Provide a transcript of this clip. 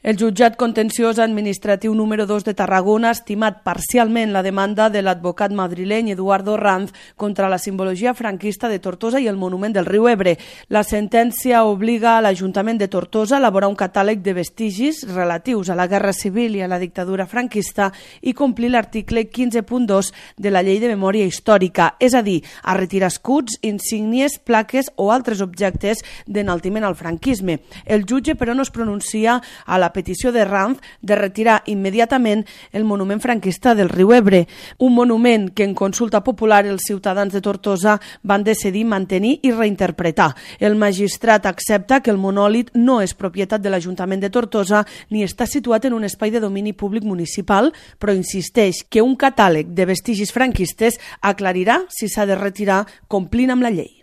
El jutjat contenciós administratiu número 2 de Tarragona ha estimat parcialment la demanda de l'advocat madrileny Eduardo Ranz contra la simbologia franquista de Tortosa i el monument del riu Ebre. La sentència obliga a l'Ajuntament de Tortosa a elaborar un catàleg de vestigis relatius a la Guerra Civil i a la dictadura franquista i complir l'article 15.2 de la Llei de Memòria Històrica, és a dir, a retirar escuts, insígnies, plaques o altres objectes d'enaltiment al franquisme. El jutge, però, no es pronuncia a la petició de Ranz de retirar immediatament el monument franquista del riu Ebre, un monument que en consulta popular els ciutadans de Tortosa van decidir mantenir i reinterpretar. El magistrat accepta que el monòlit no és propietat de l'Ajuntament de Tortosa ni està situat en un espai de domini públic municipal, però insisteix que un catàleg de vestigis franquistes aclarirà si s'ha de retirar complint amb la llei.